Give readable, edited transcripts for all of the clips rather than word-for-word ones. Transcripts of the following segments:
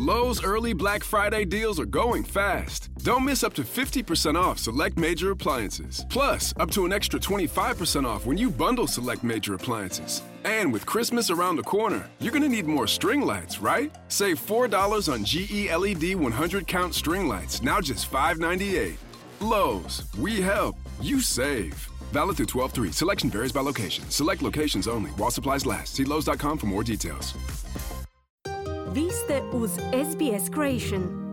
Lowe's early Black Friday deals are going fast. Don't miss up to 50% off select major appliances. Plus, up to an extra 25% off when you bundle select major appliances. And with Christmas around the corner, you're going to need more string lights, right? Save $4 on GE LED 100-count string lights, now just $5.98. Lowe's, we help, you save. Valid through 12/3. Selection varies by location. Select locations only. While supplies last. See Lowe's.com for more details. Vi ste uz SBS Creation.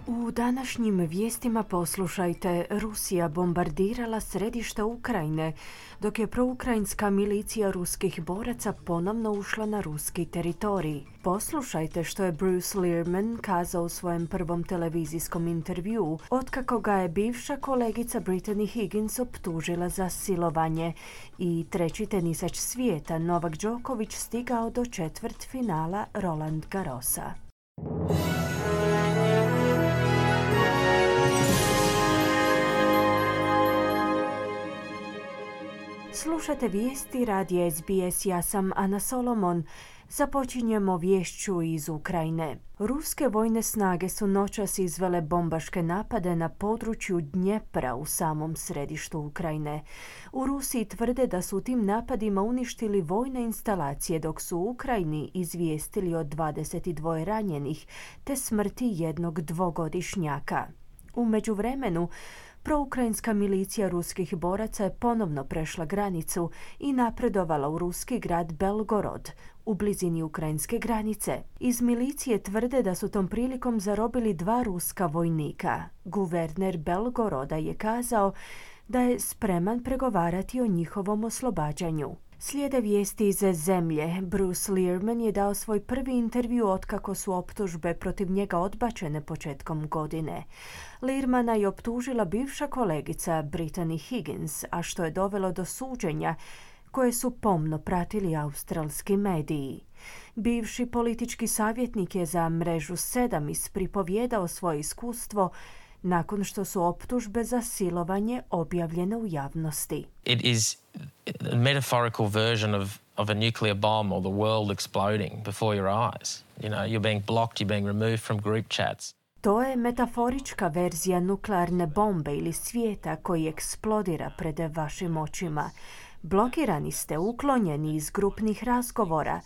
U današnjim vijestima poslušajte: Rusija bombardirala središte Ukrajine, dok je proukrajinska milicija ruskih boraca ponovno ušla na ruski teritorij. Poslušajte što je Bruce Lehrmann kazao u svojem prvom televizijskom intervjuu, otkako ga je bivša kolegica Brittany Higgins optužila za silovanje. I treći tenisač svijeta Novak Đoković stigao do četvrtfinala Roland Garrosa. Slušate vijesti radija SBS, ja sam Ana Solomon. Započinjemo viješću iz Ukrajine. Ruske vojne snage su noćas izvele bombaške napade na području Dnjepra u samom središtu Ukrajine. U Rusiji tvrde da su tim napadima uništili vojne instalacije, dok su u Ukrajini izvijestili o 22 ranjenih te smrti jednog dvogodišnjaka. U međuvremenu, proukrajinska milicija ruskih boraca je ponovno prešla granicu i napredovala u ruski grad Belgorod, u blizini ukrajinske granice. Iz milicije tvrde da su tom prilikom zarobili 2 ruska vojnika. Guverner Belgoroda je kazao da je spreman pregovarati o njihovom oslobađanju. Slijede vijesti iz zemlje. Bruce Lehrmann je dao svoj prvi intervju otkako su optužbe protiv njega odbačene početkom godine. Lehrmana je optužila bivša kolegica Brittany Higgins, a što je dovelo do suđenja koje su pomno pratili australski mediji. Bivši politički savjetnik je za mrežu 7 ispripovijedao svoje iskustvo nakon što su optužbe za silovanje objavljene u javnosti. It is a metaphorical version of a nuclear bomb or the world exploding before your eyes. You know, you're being blocked, you're being removed from group chats. To je metaforička verzija nuklearne bombe ili svijeta koji eksplodira pred vašim očima. Blokirani ste, uklonjeni iz grupnih razgovora.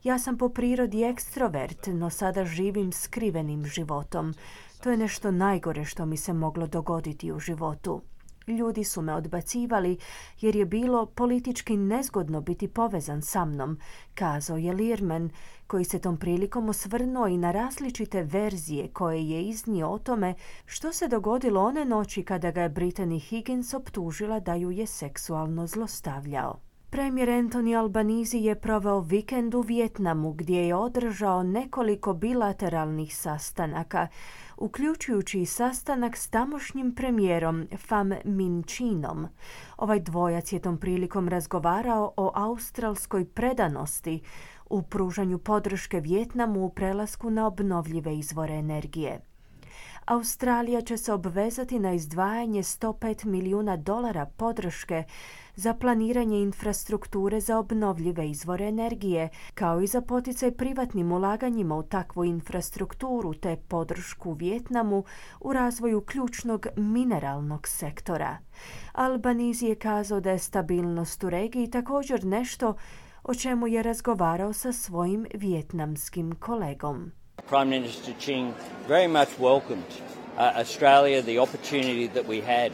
Ja sam po prirodi ekstrovert, no sada živim skrivenim životom. To je nešto najgore što mi se moglo dogoditi u životu. Ljudi su me odbacivali jer je bilo politički nezgodno biti povezan sa mnom, kazao je Lehrmann, koji se tom prilikom osvrnuo i na različite verzije koje je iznio o tome što se dogodilo one noći kada ga je Brittany Higgins optužila da ju je seksualno zlostavljao. Premijer Anthony Albanese je proveo vikend u Vijetnamu gdje je održao nekoliko bilateralnih sastanaka, uključujući i sastanak s tamošnjim premijerom Pham Minh Chinom. Ovaj dvojac je tom prilikom razgovarao o australskoj predanosti u pružanju podrške Vijetnamu u prelasku na obnovljive izvore energije. Australija će se obvezati na izdvajanje $105 milijuna podrške za planiranje infrastrukture za obnovljive izvore energije, kao i za poticaj privatnim ulaganjima u takvu infrastrukturu te podršku Vijetnamu u razvoju ključnog mineralnog sektora. Albanese je kazao da je stabilnost u regiji također nešto o čemu je razgovarao sa svojim vijetnamskim kolegom. Prime Minister Ching very much welcomed Australia, the opportunity that we had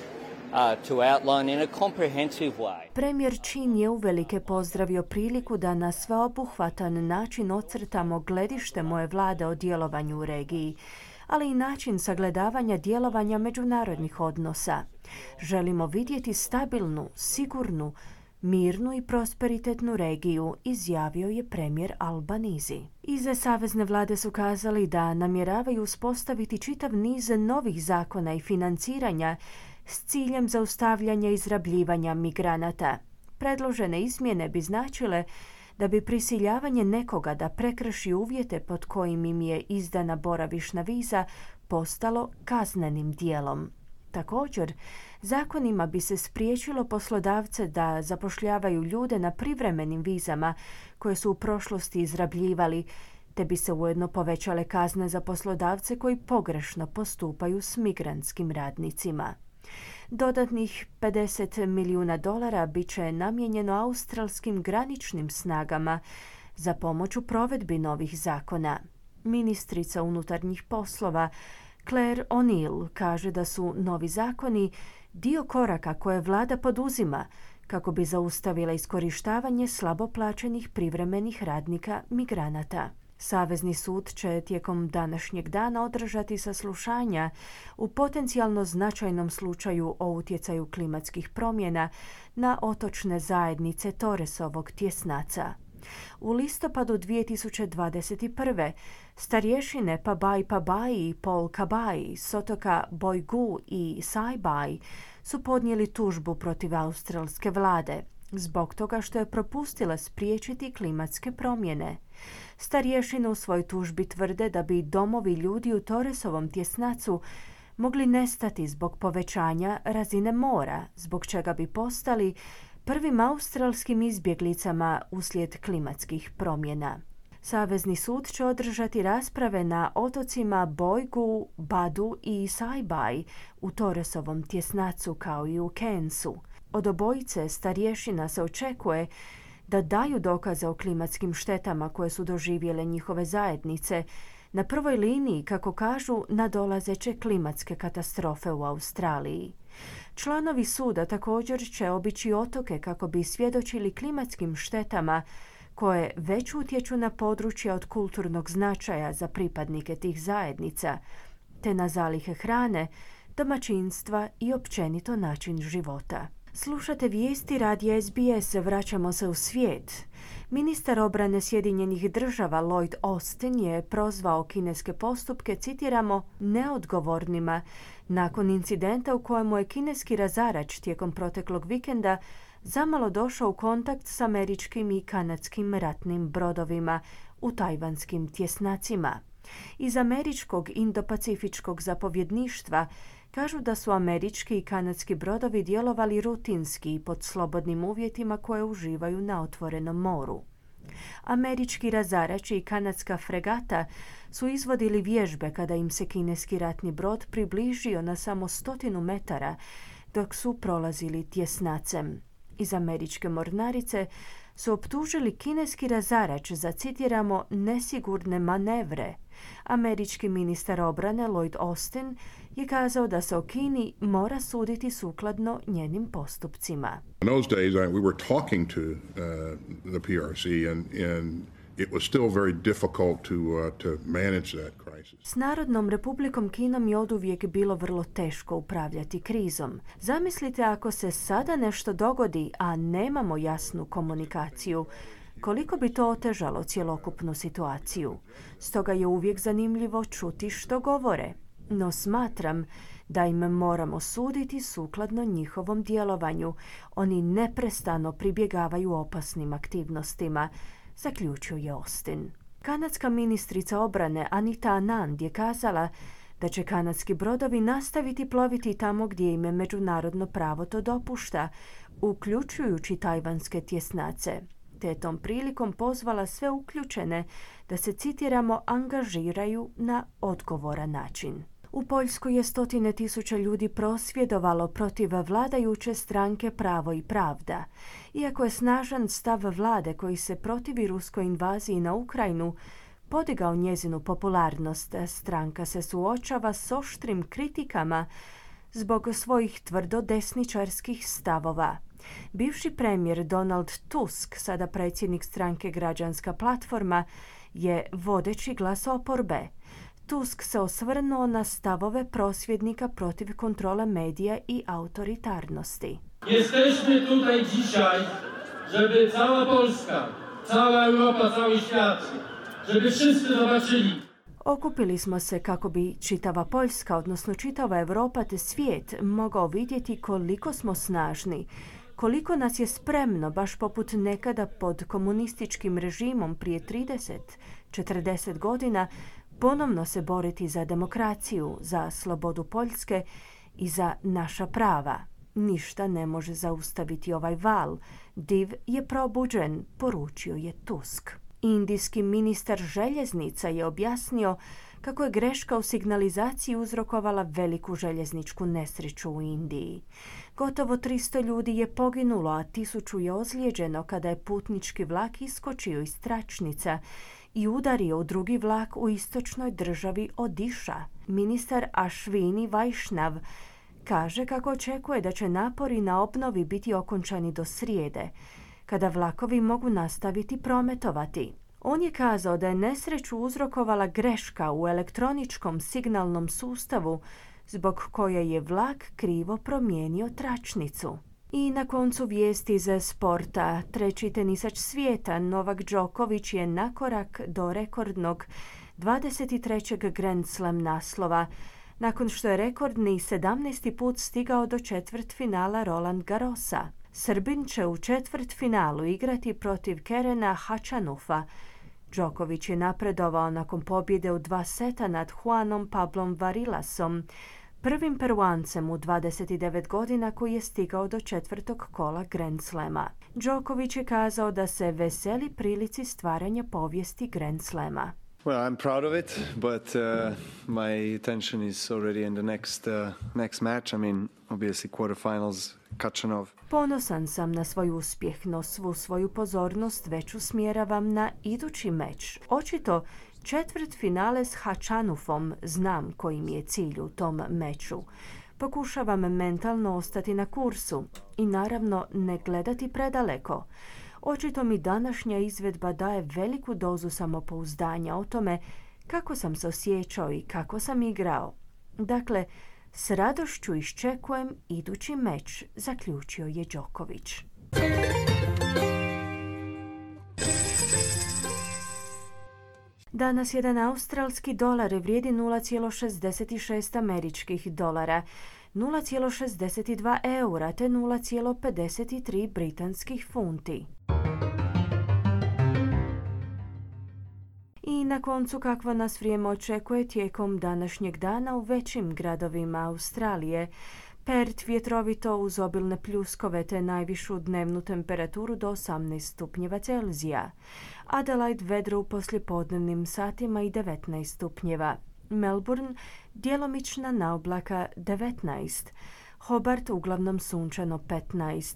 to outline in a comprehensive way. Premijer Chin je uvelike pozdravio priliku da na sveobuhvatan način ocrtamo gledište moje vlade o djelovanju u regiji, ali i način sagledavanja djelovanja međunarodnih odnosa. Želimo vidjeti stabilnu, sigurnu, mirnu i prosperitetnu regiju, izjavio je premijer Albanese. Iz savezne vlade su kazali da namjeravaju uspostaviti čitav niz novih zakona i financiranja s ciljem zaustavljanja izrabljivanja migranata. Predložene izmjene bi značile da bi prisiljavanje nekoga da prekrši uvjete pod kojim im je izdana boravišna viza postalo kaznenim djelom. Također, zakonima bi se spriječilo poslodavce da zapošljavaju ljude na privremenim vizama koje su u prošlosti izrabljivali, te bi se ujedno povećale kazne za poslodavce koji pogrešno postupaju s migrantskim radnicima. Dodatnih $50 milijuna bit će namijenjeno australskim graničnim snagama za pomoć u provedbi novih zakona. Ministrica unutarnjih poslova Claire O'Neill kaže da su novi zakoni dio koraka koje vlada poduzima kako bi zaustavila iskorištavanje slabo plaćenih privremenih radnika migranata. Savezni sud će tijekom današnjeg dana održati saslušanja u potencijalno značajnom slučaju o utjecaju klimatskih promjena na otočne zajednice Torresovog tjesnaca. U listopadu 2021. starješine Pabai i Paul Kabai s otoka Boigu i Saibai su podnijeli tužbu protiv australske vlade zbog toga što je propustila spriječiti klimatske promjene. Starješine u svojoj tužbi tvrde da bi domovi ljudi u Torresovom tjesnacu mogli nestati zbog povećanja razine mora, zbog čega bi postali prvim australskim izbjeglicama uslijed klimatskih promjena. Savezni sud će održati rasprave na otocima Boigu, Badu i Saibai u Torresovom tjesnacu kao i u Cairnsu. Od obojice starješina se očekuje da daju dokaze o klimatskim štetama koje su doživjele njihove zajednice, na prvoj liniji, kako kažu, nadolazeće klimatske katastrofe u Australiji. Članovi suda također će obići otoke kako bi svjedočili klimatskim štetama koje već utječu na područja od kulturnog značaja za pripadnike tih zajednica, te na zalihe hrane, domaćinstva i općenito način života. Slušate vijesti radija SBS, vraćamo se u svijet. Ministar obrane Sjedinjenih država Lloyd Austin je prozvao kineske postupke, citiramo, neodgovornima, nakon incidenta u kojemu je kineski razarač tijekom proteklog vikenda zamalo došao u kontakt s američkim i kanadskim ratnim brodovima u tajvanskim tjesnacima. Iz američkog Indo-Pacifičkog zapovjedništva kažu da su američki i kanadski brodovi djelovali rutinski i pod slobodnim uvjetima koje uživaju na otvorenom moru. Američki razarač i kanadska fregata su izvodili vježbe kada im se kineski ratni brod približio na samo 100 metara dok su prolazili tjesnacem. Iz američke mornarice su optužili kineski razarač za, citiramo, nesigurne manevre. Američki ministar obrane Lloyd Austin je kazao da se o Kini mora suditi sukladno njenim postupcima. In those days, we were talking to the PRC and it was still very difficult to manage that crisis. S Narodnom republikom Kinom je oduvijek bilo vrlo teško upravljati krizom. Zamislite ako se sada nešto dogodi, a nemamo jasnu komunikaciju, koliko bi to otežalo cjelokupnu situaciju. Stoga je uvijek zanimljivo čuti što govore. No smatram da im moramo suditi sukladno njihovom djelovanju. Oni neprestano pribjegavaju opasnim aktivnostima, zaključio je Austin. Kanadska ministrica obrane Anita Anand je kazala da će kanadski brodovi nastaviti ploviti tamo gdje im međunarodno pravo to dopušta, uključujući tajvanske tjesnace, te je tom prilikom pozvala sve uključene da se, citiramo, angažiraju na odgovoran način. U Poljskoj je 100.000 ljudi prosvjedovalo protiv vladajuće stranke Pravo i pravda. Iako je snažan stav vlade koji se protivi ruskoj invaziji na Ukrajinu podigao njezinu popularnost, stranka se suočava s oštrim kritikama zbog svojih tvrdo desničarskih stavova. Bivši premijer Donald Tusk, sada predsjednik stranke Građanska platforma, je vodeći glas oporbe. Tusk se osvrnuo na stavove prosvjednika protiv kontrole medija i autoritarnosti. Jesteśmy tutaj dzisiaj, żeby cała Polska, cała Europa, cały świat, żeby wszyscy zobaczyli. Okupili smo se kako bi čitava Poljska, odnosno čitava Europa te svijet, mogao vidjeti koliko smo snažni, koliko nas je spremno, baš poput nekada pod komunističkim režimom prije 30-40 godina, ponovno se boriti za demokraciju, za slobodu Poljske i za naša prava. Ništa ne može zaustaviti ovaj val. Div je probuđen, poručio je Tusk. Indijski ministar željeznica je objasnio kako je greška u signalizaciji uzrokovala veliku željezničku nesreću u Indiji. Gotovo 300 ljudi je poginulo, a 1000 je ozlijeđeno kada je putnički vlak iskočio iz tračnica i udario u drugi vlak u istočnoj državi Odiša. Ministar Ashwini Vaishnav kaže kako očekuje da će napori na obnovi biti okončani do srijede, kada vlakovi mogu nastaviti prometovati. On je kazao da je nesreću uzrokovala greška u elektroničkom signalnom sustavu zbog koje je vlak krivo promijenio tračnicu. I na koncu vijesti iz sporta. Treći tenisač svijeta Novak Đoković je na korak do rekordnog 23. Grand Slam naslova, nakon što je rekordni 17. put stigao do četvrtfinala Roland Garrosa. Srbin će u četvrtfinalu igrati protiv Kerena Hachanufa. Đoković je napredovao nakon pobjede u 2 seta nad Juanom Pablom Varilasom, prvim Peruancem u 29 godina koji je stigao do 4. kola Grand Slama. Đoković je kazao da se veseli prilici stvaranja povijesti Grand Slama. Well, I'm proud of it, but my attention is already in the next match. I mean, obviously quarterfinals, Khachanov. Ponosan sam na svoj uspjeh, no svu svoju pozornost već usmjeravam na idući meč. Očito četvrtfinale s Hachanufom, znam koji mi je cilj u tom meču. Pokušavam mentalno ostati na kursu i naravno ne gledati predaleko. Očito mi današnja izvedba daje veliku dozu samopouzdanja o tome kako sam se osjećao i kako sam igrao. Dakle, s radošću iščekujem idući meč, zaključio je Đoković. Danas jedan australski dolar vrijedi 0,66 američkih dolara, 0,62 eura te 0,53 britanskih funti. I na koncu kakvo nas vrijeme očekuje tijekom današnjeg dana u većim gradovima Australije. Perth vjetrovito uz obilne pljuskove te najvišu dnevnu temperaturu do 18 stupnjeva Celzija. Adelaide vedro u poslijepodnevnim satima i 19 stupnjeva. Melbourne djelomična naoblaka 19. Hobart uglavnom sunčano 15.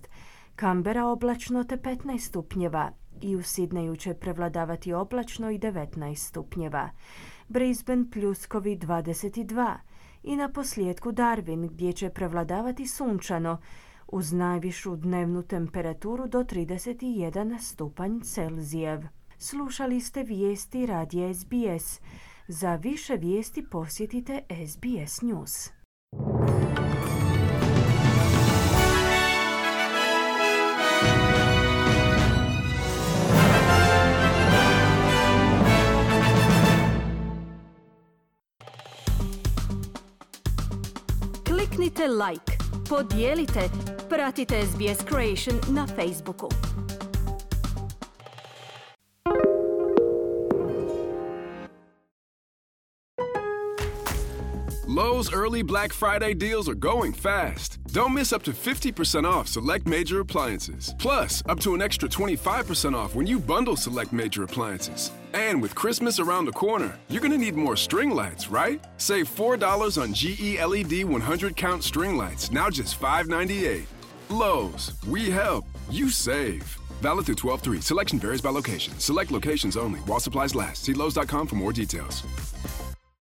Canberra oblačno te 15 stupnjeva. I u Sidneju će prevladavati oblačno i 19 stupnjeva. Brisbane pljuskovi 22. I na posljedku Darwin gdje će prevladavati sunčano uz najvišu dnevnu temperaturu do 31 stupanj Celzijev. Slušali ste vijesti radija SBS. Za više vijesti posjetite SBS News. Kliknite like, podijelite, pratite SBS Creation na Facebooku. Lowe's early Black Friday deals are going fast. Don't miss up to 50% off select major appliances. Plus, up to an extra 25% off when you bundle select major appliances. And with Christmas around the corner, you're going to need more string lights, right? Save $4 on GE LED 100-count string lights, now just $5.98. Lowe's, we help, you save. Valid through 12/3. Selection varies by location. Select locations only. While supplies last. See Lowe's.com for more details.